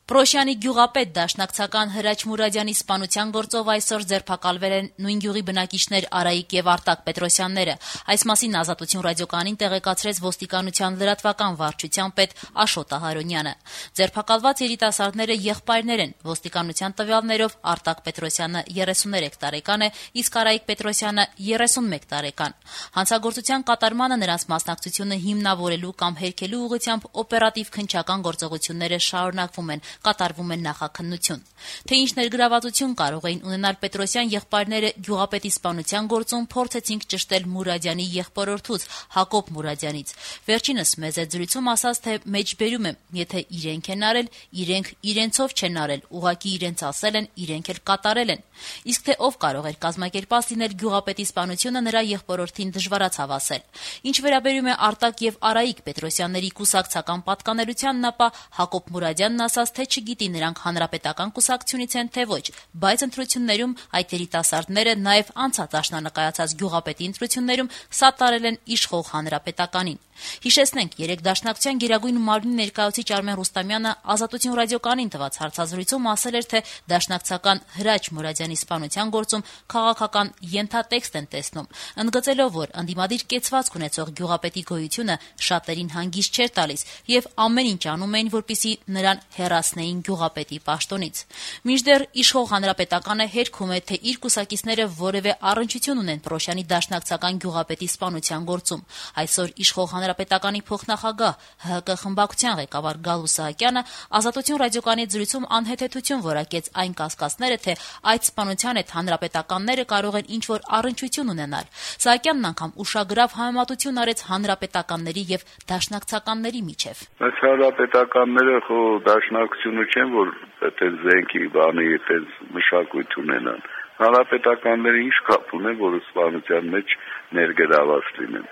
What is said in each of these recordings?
Պրոշյանի գյուղապետ դաշնակցական Հրաչ Մուրադյանի սպանության գործով այսօր ձերբակալվել են նույն գյուղի բնակիչներ Արայիկ եւ Արտակ Պետրոսյանները։ Այս մասին Ազատություն ռադիոկայանին տեղեկացրեց ոստիկանության լրատվական վարչության պետ Աշոտ Ահարոնյանը։ Ձերբակալված երիտասարդները եղբայրներ են։ Ոստիկանության տվյալներով Արտակ Պետրոսյանը 33 տարեկան է, իսկ Արայիկ Պետրոսյանը 31 տարեկան։ Հանցագործության կատարմանը նրանց մասնակցությունը հիմնավորելու կամ հերքելու ուղղությամբ օպերատիվ քննչական գործողությունները շարունակվում են, կատարվում է նախաքննություն։ Թե ինչ ներգրավվածություն կարող էին ունենալ Պետրոսյան եղբայրները գյուղապետի սպանության գործում, փորձեցինք ճշտել Մուրադյանի եղբորորդուց Հակոբ Մուրադյանից։ Վերջինս մեծ զրույցում ասաց, թե մեջբերում եմ, եթե իրենք են արել, իրենք իրենցով չեն արել, ուղղակի իրենց ասել են, իրենք էլ կատարել են։ Իսկ թե ով կարող էր կազմակերպած լինել գյուղապետի սպանությունը, նրա եղբորորդին դժվարացավ ասել։ Ինչ վերաբերում է Արտակ եւ Արայիկ Պետրոսյանների կուսակցական պատկանելությանն, ապա Հակոբ Մուրադյանն ասաց, թե չգիտի նրանք հանրապետական կուսակցությունից են թե ոչ, բայց ընտրություններում այդ երիտասարդները նաև անցած աշնանկայացած գյուղապետի ընտրություններում սատարել են իշխող հանրապետականին։ Հիշեցնենք, երեկ Դաշնակցության Գերագույն մարմնի ներկայացուցիչ Արմեն Ռուստամյանը Ազատություն ռադիոկայանին տված հարցազրույցում ասել էր, թե դաշնակցական Հրաչ Մուրադյանի սպանության գործում քաղաքական ենթատեքստ են տեսնում, ընդգծելով, որ ընդդիմադիր կեցվածք ունեցող գյուղապետի գոյությունը շատերին հանգիստ չէր տալիս եւ ամեն ինչ անում էին, որպեսզի նրան հեռացնեին գյուղապետի պաշտոնից։ Մինչդեռ իշխող հանրապետականը հերքում է, թե իր կուսակիցները որևէ առնչություն ունեն Պրոշյանի դաշնակցական գյուղապետի սպանության գործում։ Այսօր իշխող հանրապետականի փոխնախագահ ՀՀԿ խմբակցության ղեկավար Գալու Սահակյանը Ազատություն ռադիոկայանի զրույցում անհեթեթություն որակեց այն կասկածները, թե այդ սպանության հետ հանրապետականները կարող են ինչ-որ առնչություն ունենալ։ Սահակյանն անգամ ուշագրավ համեմատություն արեց հանրապետականների եւ դաշնակցականների միջև։ Այս հանրապետականները խո դաշնակցությունը չեն, որ այդպես զենքի բանի, այդպես մշակույթ ունենան։ Հանրապետականները ինչ կապ ունեն, որ սպանության մեջ ներգրաված լինեն։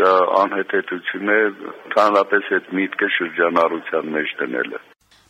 Դա անհետեթություն է, ընդհանրապես այդ միտքը շրջանառության մեջ դնելը։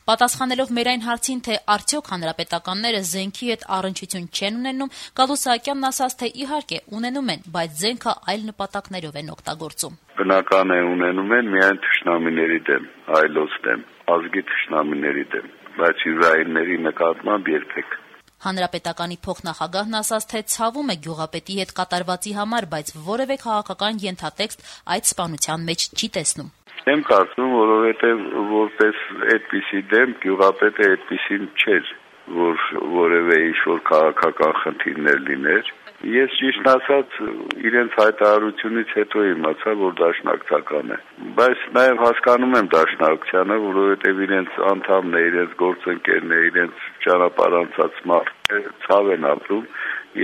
Պատասխանելով մեր այն հարցին, թե արդյոք հանրապետականները զենքի հետ առնչություն չեն ունենում, Գալու Սահակյանն ասաց, թե իհարկե ունենում են, բայց զենքը այլ նպատակներով են օգտագործում։ Բնական է ունենում են միայն թշնամիների դեմ, այլոց դեմ, ազգի թշնամիների դեմ, բայց յուրայինների նկատմամբ երբեք։ Հանրապետականի փոխնախագահն ասաց, թե ցավում է գյուղապետի հետ կատարվածի համար, բայց որևէ քաղաքական ենթատեքստ այդ սպանության մեջ չի տեսնում։ Եմ կարծում, որովհետև որպես այդպիսի դեմ գյուղապետը այդպիսին չէր, որ որևէ ինչ-որ քաղաքական խնդիրներ լիներ։ Ես ճիշտ ասած իրենց հայտարարությունից հետո իմացա, որ դաշնակցական է, բայց նաև հասկանում եմ դաշնակցությանը, որովհետև իրենց անդամն է, իրենց գործընկերն է, իրենց ճանապարհ անցած մարդ է, ցավ են ապրում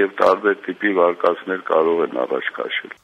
եւ տարբեր տիպի վարկածներ կարող են առաջ քաշել։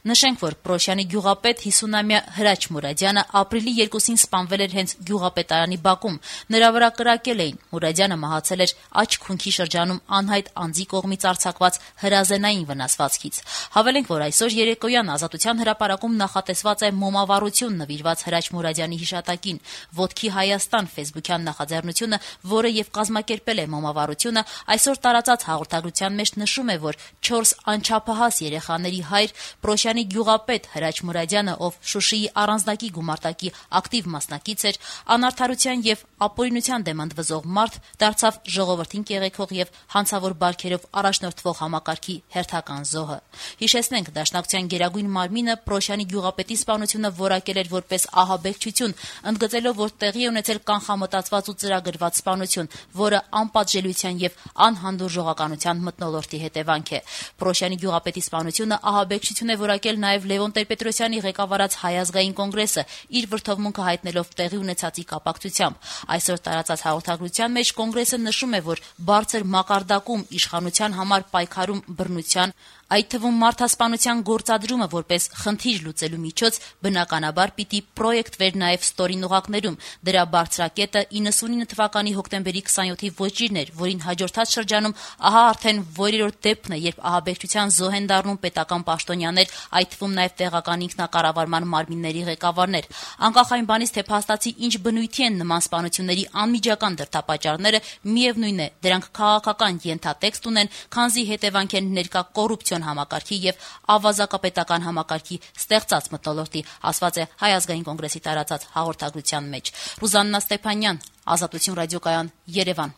Նշենք, որ Պրոշյանի գյուղապետ 50-ամյա Հրաչ Մուրադյանը ապրիլի 2-ին սպանվել էր հենց գյուղապետարանի բակում։ Նրա վրա կրակել էին։ Մուրադյանը մահացել էր աջ քունքի շրջանում անհայտ անձի կողմից արձակված հրազենային վնասվածքից։ Հավելենք, որ այսօր երեկոյան Ազատության հրապարակում նախատեսված է մոմավառություն նվիրված Հրաչ Մուրադյանի հիշատակին։ Ոտքի Հայաստան ֆեյսբուքյան նախաձեռնությունը, որը եւ կազմակերպել է մոմավառությունը, այսօր տարածած հաղորդագրության մեջ նշում է, որ 4 անչափահաս երեխաների հայր Պրոշյանի գյուղապետ Հրաչ Մուրադյանը, ով Շուշիի առանձնակի գումարտակի ակտիվ մասնակից էր, անարդարության եւ ապօրինության դեմ ընդվզող մարդ, դարձավ ժողովրդին կեղեքող եւ հանցավոր բարքերով առաջնորդվող համակարգի հերթական զոհը։ Հիշեցնենք, Դաշնակցության Գերագույն մարմինը Պրոշյանի գյուղապետի սպանությունը որակել էր որպես ահաբեկչություն, ընդգծելով, որ տեղի է ունեցել կանխամտածված ու ծրագրված սպանություն, որը անպատժելիության եւ անհանդուրժողականության մթնոլորտի հետևանք է։ Պրոշյանի գյուղապետի սպանությունը ահաբեկչություն է որակել նաև Լևոն Տեր-Պետրոսյանի ղեկավարած Հայ ազգային կոնգրեսը, իր վրդովմունքը հայտնելով տեղի ունեցածի կապակցությամբ։ Այսօր տարածած հաղորդագրության մեջ կոնգրեսը նշում է, որ բարձր մակարդակում իշխանության համար պայքարում բռնության, այդ թվում մարդասպանության գործադրումը որպես խնդիր լուծելու միջոց, բնականաբար պիտի պրոյեկտվեր նաև ստորին ուղակներում։ Դրա բարձրակետը 99 թվականի հոկտեմբերի 27-ի ոճիրն էր, որին հաջորդած շրջանում ահա արդեն որերորդ դեպքն է, երբ ահաբեկչության զոհ են դառնում պետական պաշտոնյաներ, այդ թվում նաև տեղական ինքնակառավարման մարմինների ղեկավարներ։ Անկախ այն բանից, թե փաստացի ինչ բնույթի են նման սպանությունների անմիջական դրդապատճառները, միևնույն է, դրանք քաղաքական ենթատեքստ ունեն, քանզի հետևանք են ներկա կոռուպցիոն կոնստիտուցիոն համակարգի եւ ավազակապետական համակարգի ստեղծած մթնոլորտի, ասված է Հայ ազգային կոնգրեսի տարածած հաղորդագրության մեջ։ Ռուզաննա Ստեփանյան, Ազատություն ռադիոկայան, Երևան։